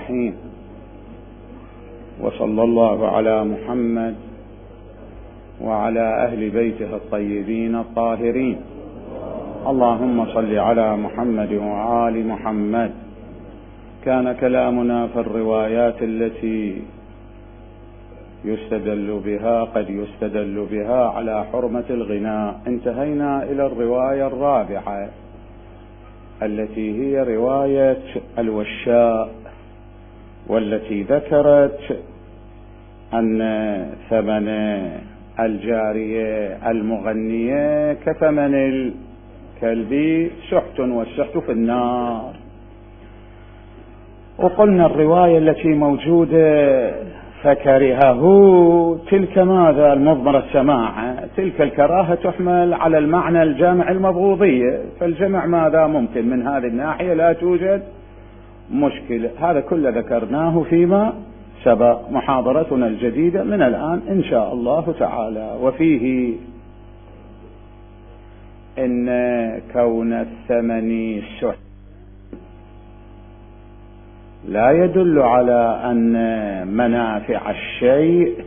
الرحيم. وصلى الله على محمد وعلى أهل بيته الطيبين الطاهرين. اللهم صل على محمد وآل محمد. كان كلامنا في الروايات التي قد يستدل بها على حرمة الغناء. انتهينا إلى الرواية الرابعة التي هي رواية الوشاء، والتي ذكرت أن ثمن الجارية المغنية كثمن الكلب سحت، والسحت في النار. وقلنا الرواية التي موجودة فكرهه تلك ماذا المضمر السماع، تلك الكراهة تحمل على المعنى الجامع المبغوضية، فالجمع ماذا ممكن من هذه الناحية لا توجد مشكلة. هذا كله ذكرناه فيما سبق، محاضرتنا الجديدة من الآن إن شاء الله تعالى. وفيه إن كون الثمن سحت لا يدل على أن منافع الشيء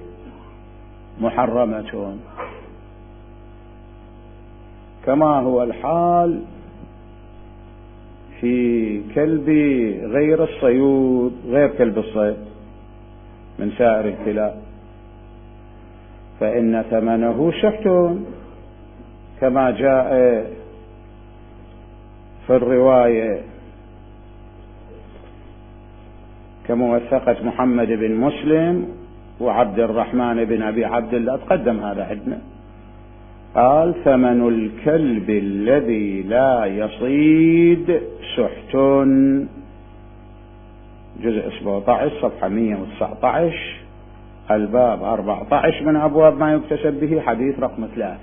محرمة، كما هو الحال في كلب غير الصيود، غير كلب الصيد من سائر الكلاب، فإن ثمنه سحت كما جاء في الرواية كموثقة محمد بن مسلم وعبد الرحمن بن أبي عبد الله، تقدم هذا عندنا. قال: ثمن الكلب الذي لا يصيد سحت، جزء 17 صفحة 119 الباب 14 من أبواب ما يكتسب به، حديث رقم 3.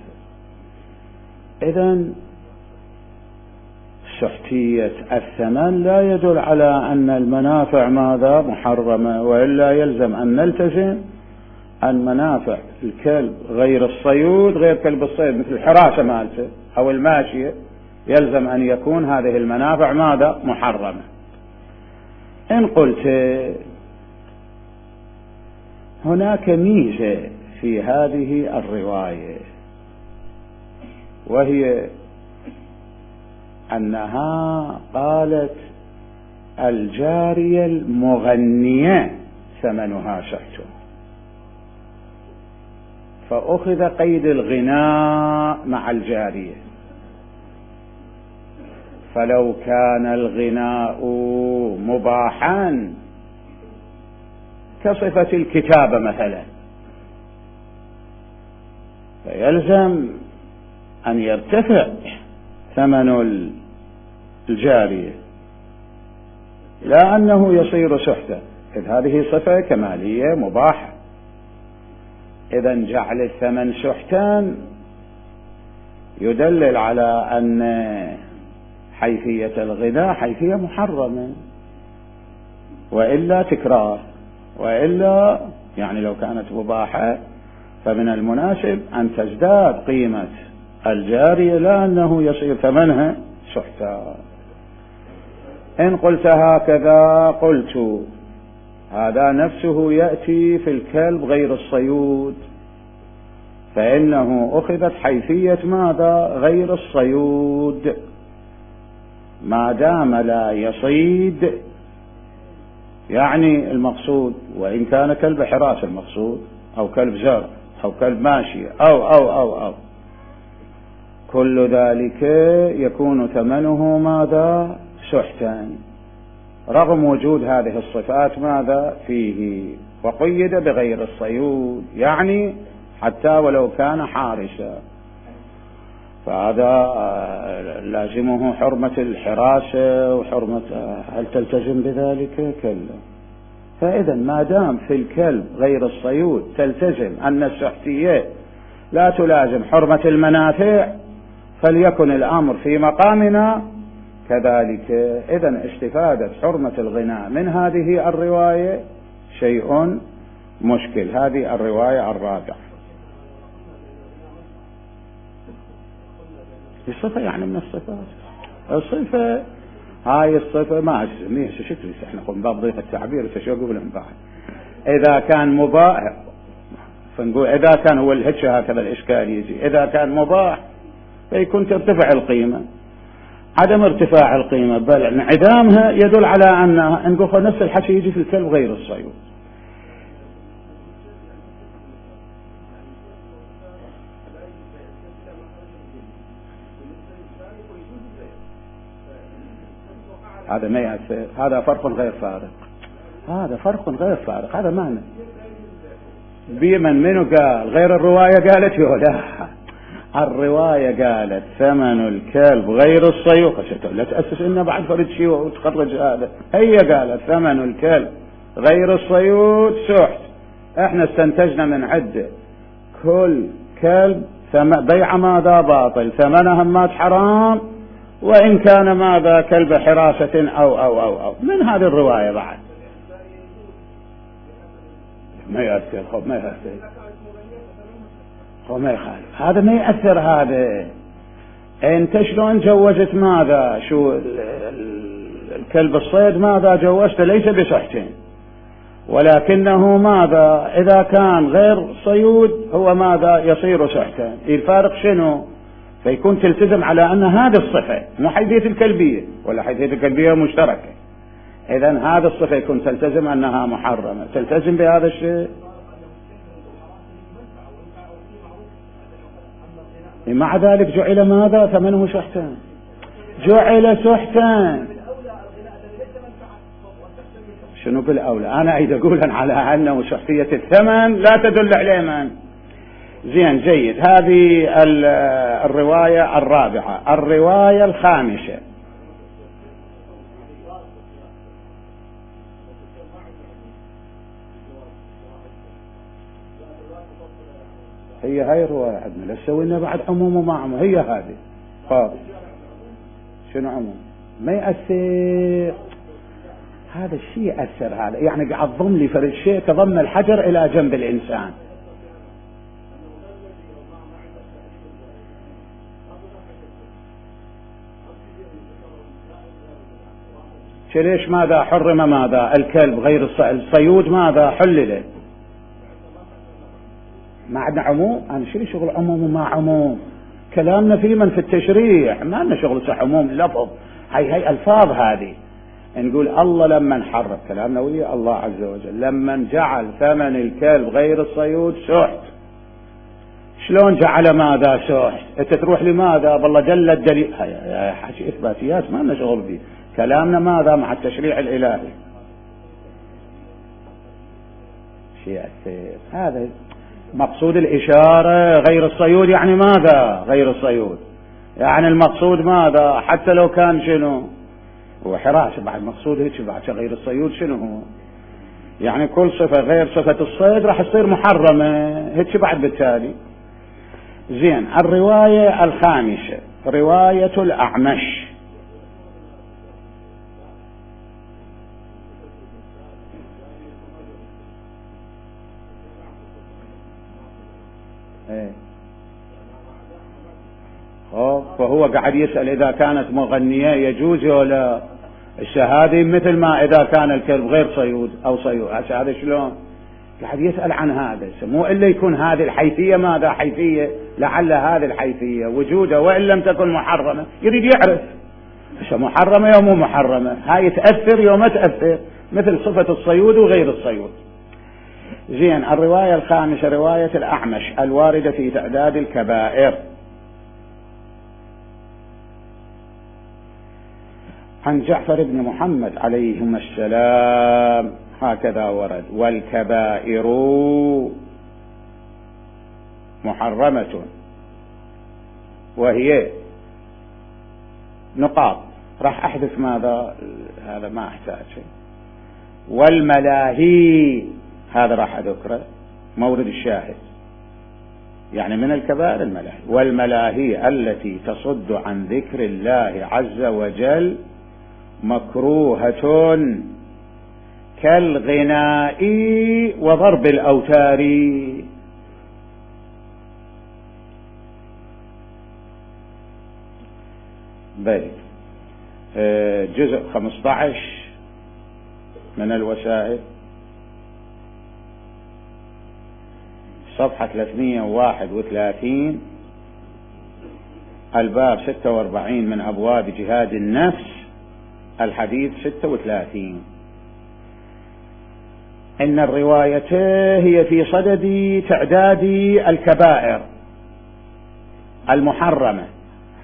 إذن سحتية الثمن لا يدل على أن المنافع ماذا محرمة، وإلا يلزم أن نلتزم أن منافع الكلب غير الصيود، غير كلب الصيد مثل الحراسة مالته أو الماشية، يلزم أن يكون هذه المنافع ماذا محرمة. إن قلت هناك ميزة في هذه الرواية، وهي أنها قالت الجارية المغنية ثمنها سحت، فأخذ قيد الغناء مع الجارية. فلو كان الغناء مباحا كصفة الكتابة مثلا، فيلزم أن يرتفع ثمن الجارية، لا أنه يصير سحتا، إذ هذه صفة كمالية مباحة. إذن جعل الثمن سحتا يدلل على أن حيثية الغناء حيثية محرمة، وإلا تكرار، وإلا يعني لو كانت مباحة فمن المناسب أن تزداد قيمة الجارية، لا أنه يصير ثمنها سحتا. إن قلت هكذا قلت هذا نفسه يأتي في الكلب غير الصيود، فإنه أخذت حيثية ماذا غير الصيود، ما دام لا يصيد، يعني المقصود وإن كان كلب حراس المقصود أو كلب زرع أو كلب ماشي أو كل ذلك يكون ثمنه ماذا سحتا، رغم وجود هذه الصفات ماذا فيه، وقيد بغير الصيود، يعني حتى ولو كان حارسا، فهذا لازمه حرمة الحراسة وحرمة، هل تلتزم بذلك؟ كلا. فإذا ما دام في الكلب غير الصيود تلتزم أن السحتية لا تلازم حرمة المنافع، فليكن الأمر في مقامنا كذلك. إذن استفادة حرمة الغناء من هذه الرواية شيء مشكل. هذه الرواية الرابعة، الصفة يعني من الصفات، الصفة هاي الصفة ما شكل احنا نقول باب ضيق التعبير شو اقول لهم بعد. اذا كان مباح فنقول اذا كان هو الهج هكذا الاشكال يجي، اذا كان مباح فيكون ترتفع القيمة. عدم ارتفاع القيمة بل انعدامها يدل على انها نقول نفس الحكي يجي في الكلب غير الصيود. هذا ما يأثر، هذا فرق غير فارق، هذا فرق غير فارق، هذا معنى بمن منو قال غير الرواية قالت لا الرواية قالت ثمن الكلب غير الصيود، لا تأسس إنه بعد فرد شيء وتخرج هذا، هي قالت ثمن الكلب غير الصيود سحت. احنا استنتجنا من عدة كل كلب بيع ماذا باطل، ثمنها مات حرام، وإن كان ماذا كلب حراسة أو من هذه الرواية بعد ما يأثر. خب ما يأثر، خب ما يخالف، هذا ما يأثر. هذا انت شلون جوزت ماذا شو الكلب الصيد ماذا جوزت ليس بصحتين، ولكنه ماذا إذا كان غير صيود هو ماذا يصير صحتين. الفارق شنو؟ فيكون تلتزم على أن هذه الصفة مو حيثية الكلبية ولا حيثية الكلبية مشتركة، إذن هذه الصفة يكون تلتزم أنها محرمة، تلتزم بهذا الشيء. مع ذلك جعل ماذا ثمنه سحتا، جعل سحتا. شنو بالأولى؟ أنا أريد أقول على أنه سحتية الثمن لا تدل عليه من. زين جيد. هذه الرواية الرابعة. الرواية الخامسة هي هاي الرواية عندنا، لا تسوينا بعد عموم وما عموم، هي هذه. خلاص شنو عموم؟ ما يأثر هذا الشيء، يأثر هذا يعني قاعد ضم لي فرد شيء كضم الحجر إلى جنب الإنسان. ليش ماذا حرم ماذا الكلب غير الصيود ماذا حلل؟ ما عندنا عموم. أنا شغل عموم وما عموم، كلامنا في من في التشريع، ما لنا شغل صح عموم لفظ. هي ألفاظ هذه نقول الله لما حرم، كلامنا ويا الله عز وجل لما جعل ثمن الكلب غير الصيود سحت. شلون جعل ماذا سحت؟ انت تروح لماذا بالله جل الدليل، هاي حكي إثباتيات ما لنا شغل به، كلامنا ماذا مع التشريع الإلهي. شيء أثير هذا مقصود الإشارة غير الصيود، يعني ماذا غير الصيود؟ يعني المقصود ماذا حتى لو كان شنو هو حراسة، بعد مقصود هيك بعد غير الصيود شنو هو؟ يعني كل صفة غير صفة الصيد راح تصير محرمة هيك بعد بالتالي. زين. الرواية الخامسة رواية الأعمش. فهو قاعد يسأل إذا كانت مغنية يجوز ولا الشهادة، مثل ما إذا كان الكلب غير صيود أو صيود. هذا شلون قاعد يسأل عن هذا؟ مو إلا يكون هذه الحيثية ماذا حيثية، لعل هذه الحيثية وجودها وإن لم تكن محرمة يريد يعرف إيش محرمة يوم مو محرمة. هاي تأثر يوم ما تأثر، مثل صفة الصيود وغير الصيود. زين. الرواية الخامسة رواية الأعمش الواردة في تعداد الكبائر. عن جعفر بن محمد عليهما السلام هكذا ورد: والكبائر محرمة، وهي نقاط راح أحذف ماذا هذا ما أحتاج شيء. والملاهي هذا راح أذكره مورد الشاهد، يعني من الكبائر الملاهي. والملاهي التي تصد عن ذكر الله عز وجل مكروهة كالغناء وضرب الأوتار. بل جزء 15 من الوسائل، صفحة 331، الباب 46 من أبواب جهاد النفس، الحديث 36. إن الرواية هي في صدد تعداد الكبائر المحرمة،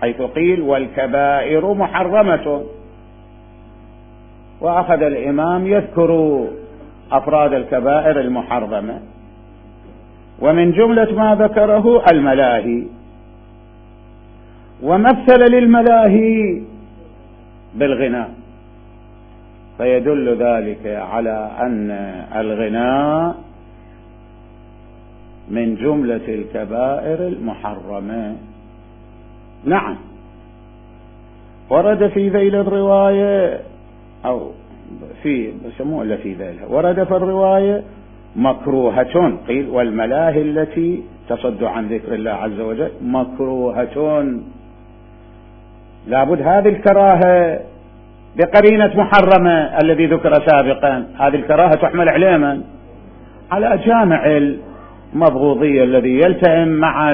حيث قيل والكبائر محرمة، وأخذ الإمام يذكر أفراد الكبائر المحرمة، ومن جملة ما ذكره الملاهي، ومثل للملاهي بالغناء، فيدل ذلك على أن الغناء من جملة الكبائر المحرمة. نعم، ورد في ذيل الرواية أو في بسموه في ذيلها، ورد في الرواية مكروهة، قيل والملاهي التي تصد عن ذكر الله عز وجل مكروهة، لابد هذه الكراهة بقرينة محرمة الذي ذكر سابقا، هذه الكراهة تحمل على من؟ على جامع المبغوضية الذي يلتئم مع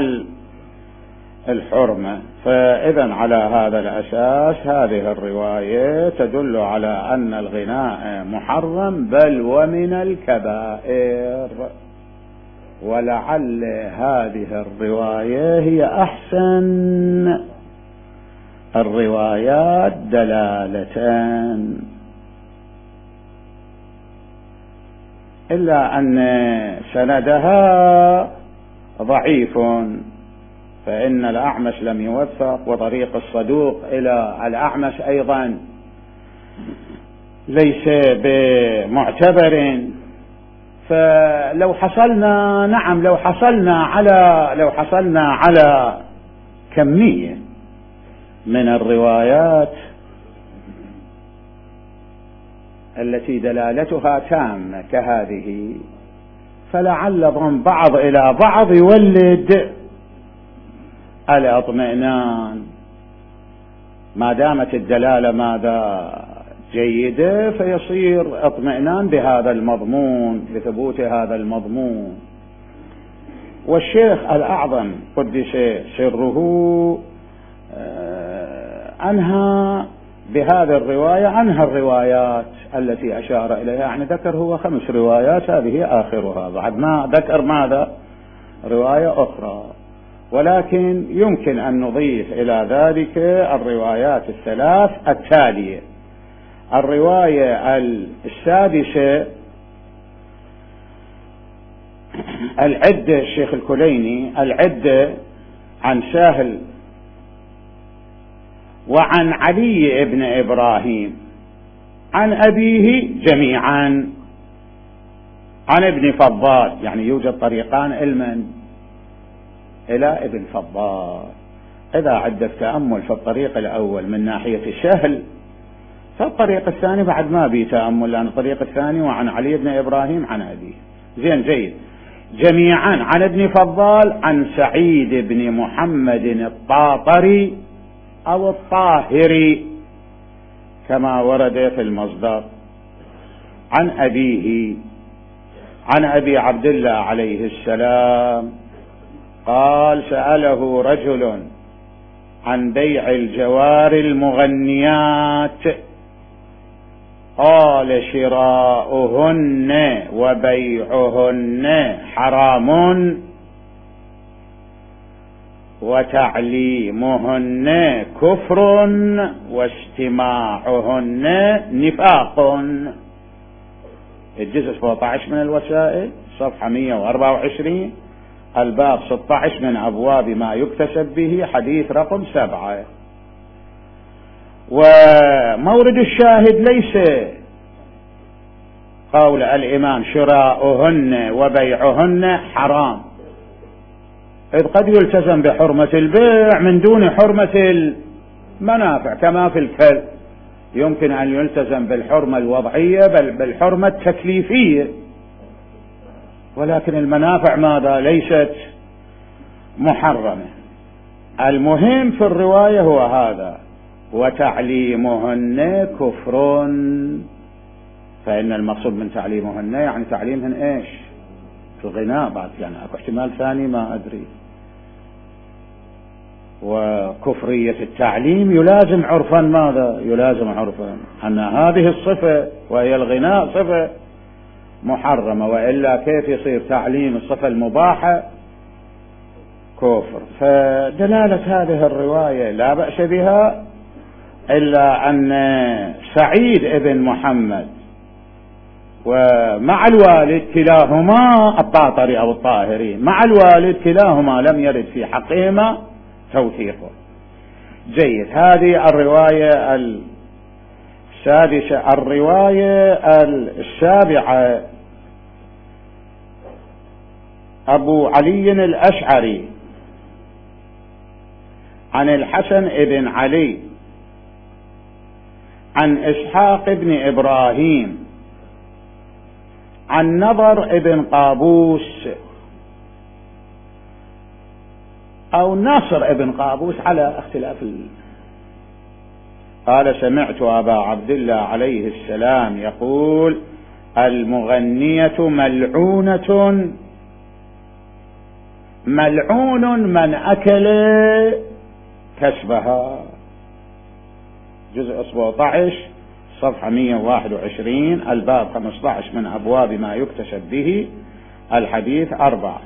الحرمة. فإذا على هذا الأساس هذه الرواية تدل على أن الغناء محرم بل ومن الكبائر، ولعل هذه الرواية هي أحسن الروايات دلالة، إلا أن سندها ضعيف، فإن الأعمش لم يوثق، وطريق الصدوق إلى الأعمش أيضا ليس بمعتبر. فلو حصلنا نعم لو حصلنا على كمية من الروايات التي دلالتها تامة كهذه، فلعل ضم بعض إلى بعض يولد الاطمئنان، ما دامت الدلالة ماذا جيدة، فيصير اطمئنان بهذا المضمون، بثبوت هذا المضمون. والشيخ الأعظم قدس سره أنهى بهذه الرواية أنهى الروايات التي أشار إليها، يعني ذكر هو 5 روايات، هذه آخرها، بعد ما ذكر ماذا رواية أخرى، ولكن يمكن أن نضيف إلى ذلك الروايات 3 التالية. الرواية 6 العدة، الشيخ الكليني العدة عن سهل وعن علي بن إبراهيم عن أبيه جميعا عن ابن فضال، يعني يوجد طريقان علما إلى ابن فضال. إذا عندك تأمل في الطريق الأول من ناحية سهل، فالطريق الثاني بعد ما بي تأمل، لأن الطريق الثاني وعن علي بن إبراهيم عن أبيه. زين جيد. جميعا عن ابن فضال عن سعيد بن محمد الطاطري أو الطاهري كما ورد في المصدر، عن أبيه عن أبي عبد الله عليه السلام قال سأله رجل عن بيع الجوار المغنيات، قال شراؤهن وبيعهن حرام وتعليمهن كفر واستماعهن نفاق. الجزء 17 من الوسائل، صفحة 124، الباب 16 من أبواب ما يكتسب به، حديث رقم 7. ومورد الشاهد ليس قول الإمام شراؤهن وبيعهن حرام، إذ قد يلتزم بحرمة البيع من دون حرمة المنافع، كما في الكلب يمكن أن يلتزم بالحرمة الوضعية بل بالحرمة التكليفية، ولكن المنافع ماذا ليست محرمة. المهم في الرواية هو هذا، وتعليمهن كفر، فإن المقصود من تعليمهن يعني تعليمهن ايش؟ الغناء. بعد يعني اكو احتمال ثاني ما ادري. وكفرية التعليم يلازم عرفا ماذا؟ يلازم عرفا أن هذه الصفة وهي الغناء صفة محرمة، وإلا كيف يصير تعليم الصفة المباحة كفر؟ فدلالة هذه الرواية لا بأس بها، إلا أن سعيد ابن محمد ومع الوالد كلاهما الطاطري أو الطاهري مع الوالد كلاهما لم يرد في حقهما توثيقه. جيد. هذه الرواية السادسة. الرواية السابعة أبو علي الأشعري عن الحسن بن علي عن إسحاق بن إبراهيم عن نضر بن قابوس أو ناصر بن قابوس على اختلاف قال: سمعت أبا عبد الله عليه السلام يقول: المغنية ملعونة، ملعون من أكل كسبها. جزء 17 صفحة 121 الباب 15 من أبواب ما يكتسب به الحديث 4.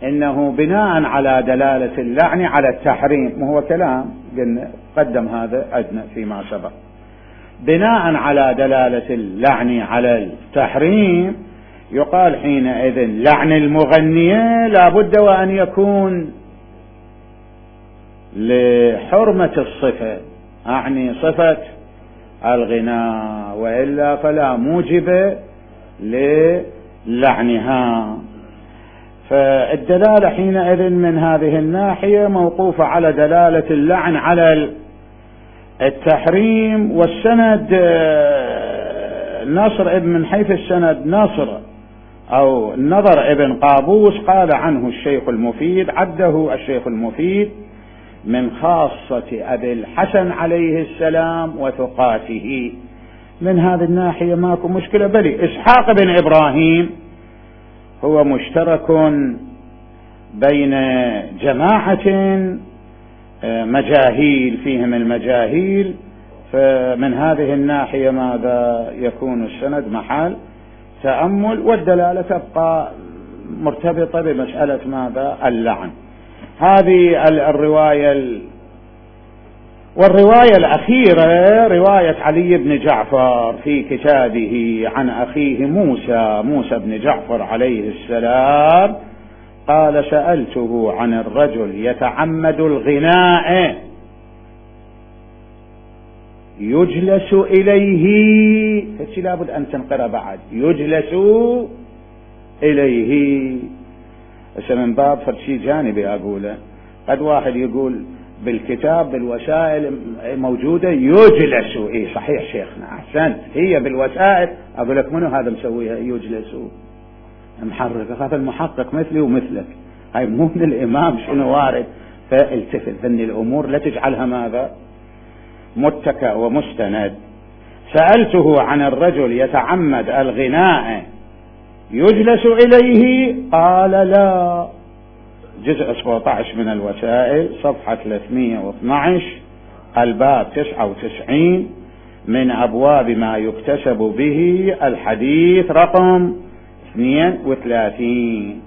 إنه بناء على دلالة اللعن على التحريم، وهو كلام قدم هذا أدنى فيما سبق، بناء على دلالة اللعن على التحريم يقال حينئذ لعن المغنية لا بد وأن يكون لحرمة الصفة، أعني صفة الغناء، وإلا فلا موجب للعنها. فالدلالة حينئذ من هذه الناحية موقوفة على دلالة اللعن على التحريم. والسند نصر من حيث السند نصر أو النضر ابن قابوس قال عنه الشيخ المفيد، عده الشيخ المفيد من خاصة أبي الحسن عليه السلام وثقاته. من هذه الناحية ماكو مشكلة. بل إسحاق بن إبراهيم هو مشترك بين جماعة مجاهيل فيهم المجاهيل، فمن هذه الناحية ماذا يكون السند محل تأمل، والدلالة تبقى مرتبطة بمسألة ماذا؟ اللعن. هذه الرواية. والرواية الأخيرة رواية علي بن جعفر في كتابه عن أخيه موسى بن جعفر عليه السلام قال: سألته عن الرجل يتعمد الغناء يجلس إليه، فشي لابد أن تنقر بعد يجلس إليه. من باب فرشي جانبي أقوله، قد واحد يقول بالكتاب بالوسائل موجودة يجلس، إيه صحيح شيخنا أحسنت، هي بالوسائل. أقول لك منو هذا مسويها يجلس محرك؟ هذا المحقق مثلي ومثلك، هاي مو من الإمام شنو وارد. فالتفت ذني الأمور لا تجعلها ماذا؟ متكأ ومستند. سألته عن الرجل يتعمد الغناء يجلس إليه قال: لا. جزء 17 من الوسائل صفحة 312 الباب 99 من أبواب ما يكتسب به الحديث رقم 32.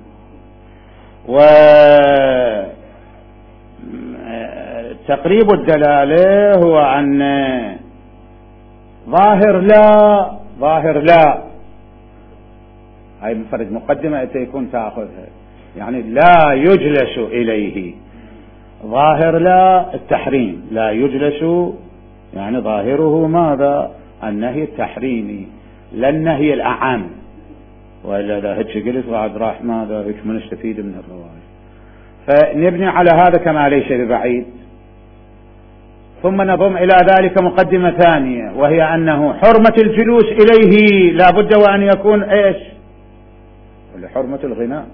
وتقريب الدلالة هو أن ظاهر لا هاي مفرد مقدمة يكون تأخذها، يعني لا يجلس إليه. ظاهر لا التحريم، لا يجلس يعني ظاهره ماذا؟ النهي التحريمي لا النهي الأعم، وإلا إذا هيك قلت بعد راح ماذا هيك من نستفيد من الرواية. فنبني على هذا كما ليس ببعيد. ثم نضم إلى ذلك مقدمة ثانية، وهي أنه حرمة الجلوس إليه لا بد وأن يكون إيش؟ لحرمة الغناء،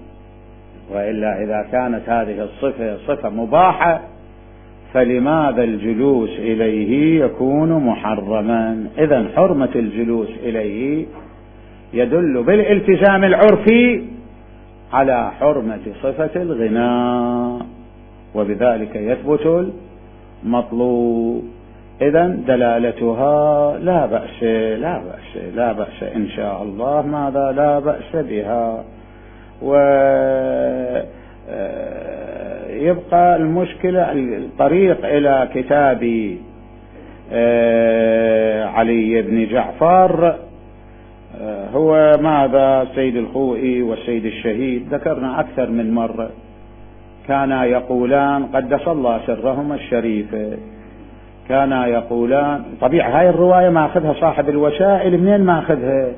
وإلا إذا كانت هذه الصفة صفة مباحة فلماذا الجلوس إليه يكون محرما؟ إذن حرمة الجلوس إليه يدل بالالتزام العرفي على حرمة صفة الغناء، وبذلك يثبت المطلوب. إذن دلالتها لا بأس لا بأس لا بأس إن شاء الله، ماذا لا بأس بها. ويبقى المشكلة الطريق إلى كتاب علي بن جعفر هو ماذا؟ السيد الخوئي والسيد الشهيد ذكرنا أكثر من مرة كانا يقولان قدس الله سرهما الشريف، كانا يقولان طبيعة هاي الرواية ما أخذها صاحب الوسائل، منين ما أخذها؟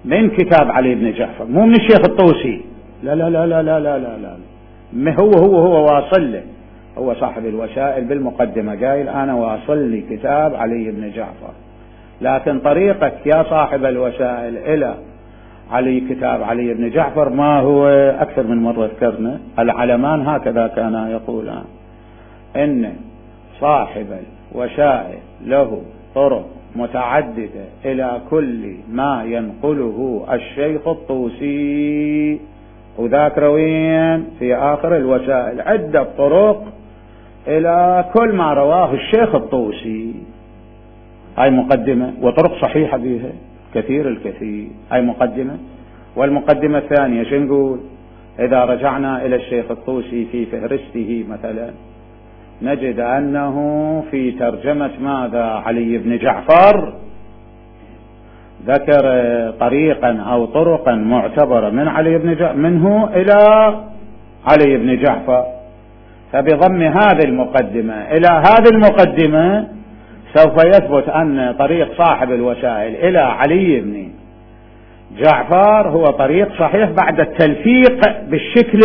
من كتاب علي بن جعفر، مو من الشيخ الطوسي. لا لا لا لا لا لا لا, لا. هو واصل له، هو صاحب الوسائل بالمقدمة قايل أنا واصل لي كتاب علي بن جعفر، لكن طريقك يا صاحب الوسائل إلى كتاب علي بن جعفر ما هو أكثر من مرة ذكرنا. العلمان هكذا كانا يقولان إن صاحب الوسائل له طرق متعددة إلى كل ما ينقله الشيخ الطوسي، وذاك روين في آخر الوسائل عدة طرق إلى كل ما رواه الشيخ الطوسي. هاي مقدمة وطرق صحيحة بها كثير الكثير، هاي مقدمة. والمقدمة الثانية شو نقول؟ إذا رجعنا إلى الشيخ الطوسي في فهرسته مثلا نجد أنه في ترجمة ماذا؟ علي بن جعفر ذكر طريقا أو طرقا معتبرة من علي بن جعفر منه إلى علي بن جعفر، فبضم هذه المقدمة إلى هذه المقدمة سوف يثبت أن طريق صاحب الوسائل إلى علي بن جعفر هو طريق صحيح بعد التلفيق بالشكل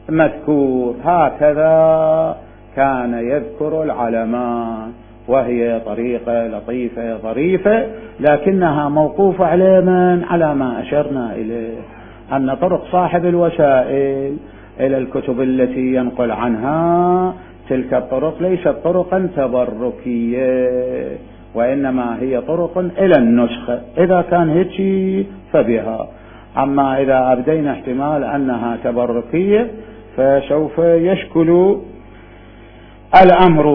المذكور. هكذا كان يذكر العلماء، وهي طريقة لطيفة ظريفة، لكنها موقوفة على من؟ على ما أشرنا إليه، أن طرق صاحب الوسائل إلى الكتب التي ينقل عنها تلك الطرق ليست طرقا تبركية، وإنما هي طرق إلى النسخة. إذا كان هيك فبها، أما إذا أبدينا احتمال أنها تبركية فسوف يشكل الأمر.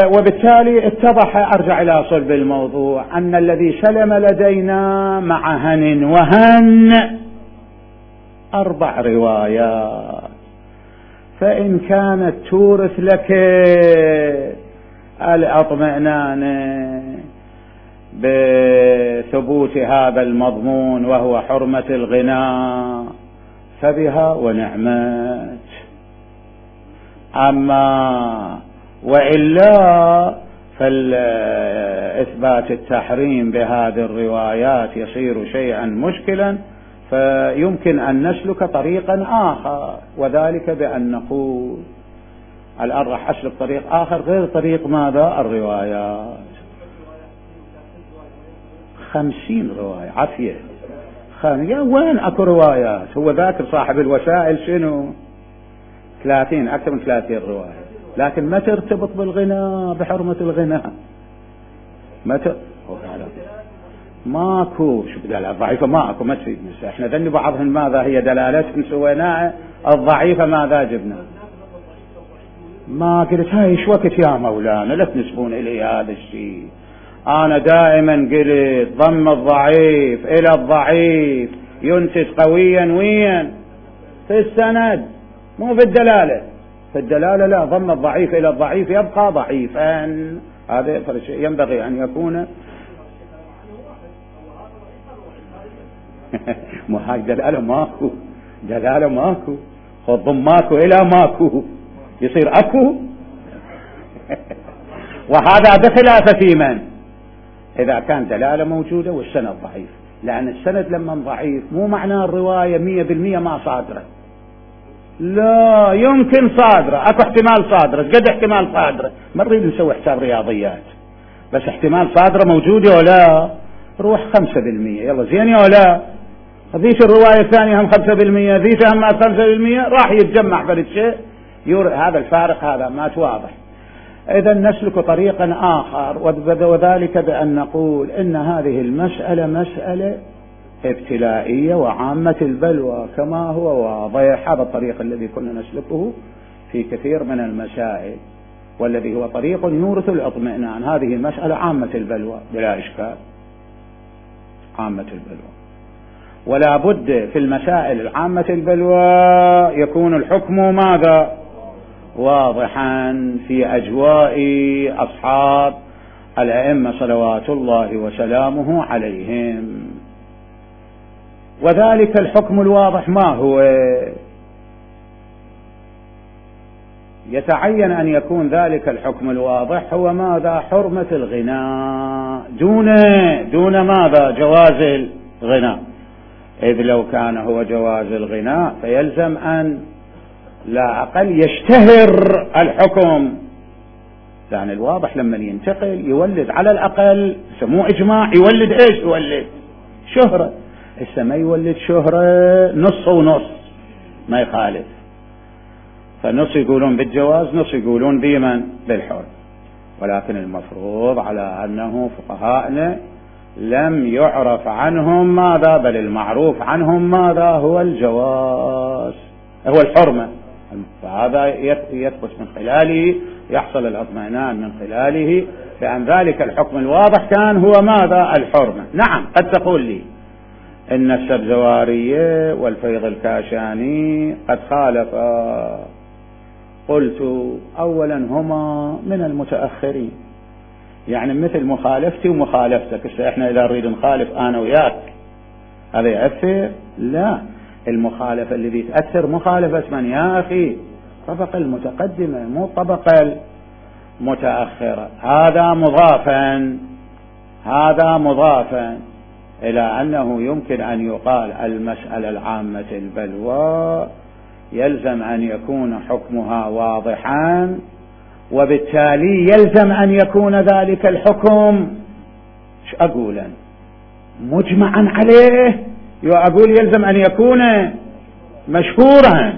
وبالتالي اتضح، أرجع إلى صلب الموضوع، أن الذي سلم لدينا مع هن وهن 4 روايات، فإن كانت تورث لك الاطمئنان بثبوت هذا المضمون وهو حرمة الغناء فبها ونعمت، أما وإلا فالإثبات التحريم بهذه الروايات يصير شيئا مشكلا، فيمكن أن نسلك طريقا آخر، وذلك بأن نقول الآن راح أسلك طريق آخر غير طريق ماذا؟ الروايات. 50 رواية عافية. وين أكو روايات؟ هو ذاكر صاحب الوسائل شنو 30 أكثر من 30 رواية، لكن ما ترتبط بالغناء بحرمة الغناء، ماكو. شو بدل ضعيفة؟ ماكو. ما تفيد. احنا ذني بعضهم ماذا هي دلالتهم سويناها الضعيفة ماذا جبنا؟ ما قلت هاي ايش وقت يا مولانا لا تنسبون الي هذا الشيء. انا دائما قلت ضم الضعيف الى الضعيف ينتج قويا وين؟ في السند مو في الدلالة. في الدلالة لا، ضم الضعيف الى الضعيف يبقى ضعيفا. هذا ينبغي ان يكون مو هاي دلالة ماكو، دلالة ماكو، خذ ضم ماكو الى ماكو يصير اكو. وهذا بخلاف في من؟ اذا كان دلالة موجودة والسند ضعيف، لان السند لما ضعيف مو معناه الرواية 100% ما صادرة، لا يمكن صادرة، اكو احتمال صادرة. قد احتمال صادرة؟ ما نريد نسوي حساب رياضيات، بس احتمال صادرة موجودة ولا روح 5%، يلا زين ولا ذيك الرواية الثانية هم 5%، ذيك هم 5%، راح يتجمع فرد شيء هذا الفارق هذا ما واضح. إذا نسلك طريقا آخر، وذلك بأن نقول إن هذه المسألة مسألة ابتلائية وعامة البلوى كما هو واضح. هذا الطريق الذي كنا نسلكه في كثير من المسائل، والذي هو طريق يورث الاطمئنان. هذه المسألة عامة البلوى بلا إشكال، عامة البلوى، ولا بد في المسائل العامة البلوى يكون الحكم ماذا؟ واضحا في أجواء أصحاب الأئمة صلوات الله وسلامه عليهم. وذلك الحكم الواضح ما هو؟ يتعين أن يكون ذلك الحكم الواضح هو ماذا؟ حرمة الغناء دون ماذا؟ جواز الغناء. إذ لو كان هو جواز الغناء فيلزم أن لا أقل يشتهر الحكم، يعني الواضح لما ينتقل يولد على الأقل سموه إجماع، يولد إيش؟ يولد شهرة. ما يولد شهرة نص ونص ما يخالف، فنص يقولون بالجواز نص يقولون بمن؟ بالحر. ولكن المفروض على أنه فقهاءنا لم يعرف عنهم ماذا؟ بل المعروف عنهم ماذا؟ هو الجواز، هو الحرمة. فهذا يثبت من خلاله، يحصل الاطمئنان من خلاله بأن ذلك الحكم الواضح كان هو ماذا؟ الحرمة. نعم قد تقول لي إن السبزوارية والفيض الكاشاني قد خالفا. قلت أولا هما من المتأخرين، يعني مثل مخالفتي ومخالفتك. احنا إذا نريد نخالف أنا وياك هذا يأثر؟ لا، المخالفة الذي تأثر مخالفة من يا أخي؟ طبقة المتقدمة مو طبقة المتأخرة. هذا مضافا إلى أنه يمكن أن يقال المسألة العامة البلوى يلزم أن يكون حكمها واضحا، وبالتالي يلزم أن يكون ذلك الحكم مجمعا عليه. أقول يلزم أن يكون مشهورا،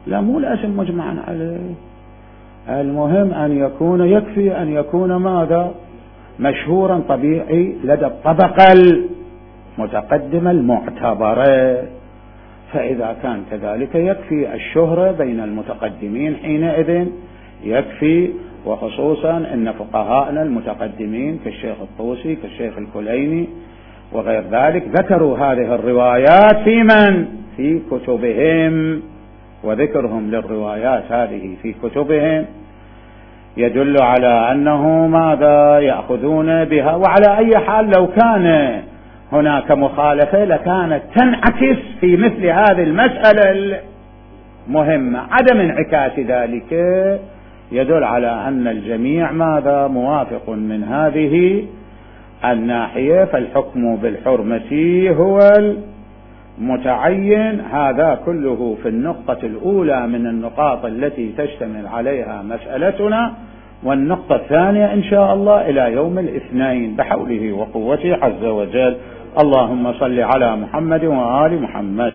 لا مو لازم مجمعا عليه. المهم أن يكون، يكفي أن يكون ماذا؟ مشهورا طبيعي لدى الطبقة المتقدمة المعتبرة. فإذا كان كذلك يكفي الشهرة بين المتقدمين حينئذ يكفي، وخصوصا أن فقهاءنا المتقدمين كالشيخ الطوسي كالشيخ الكليني وغير ذلك ذكروا هذه الروايات في كتبهم، وذكرهم للروايات هذه في كتبهم يدل على أنه ماذا؟ يأخذون بها. وعلى أي حال لو كان هناك مخالفة لكانت تنعكس في مثل هذه المسألة المهمة. عدم انعكاس ذلك يدل على أن الجميع ماذا؟ موافق من هذه الناحية. فالحكم بالحرمة هو المتعين. هذا كله في النقطة الأولى من النقاط التي تشتمل عليها مسألتنا، والنقطة الثانية إن شاء الله إلى يوم الاثنين بحوله وقوته عز وجل. اللهم صل على محمد وآل محمد.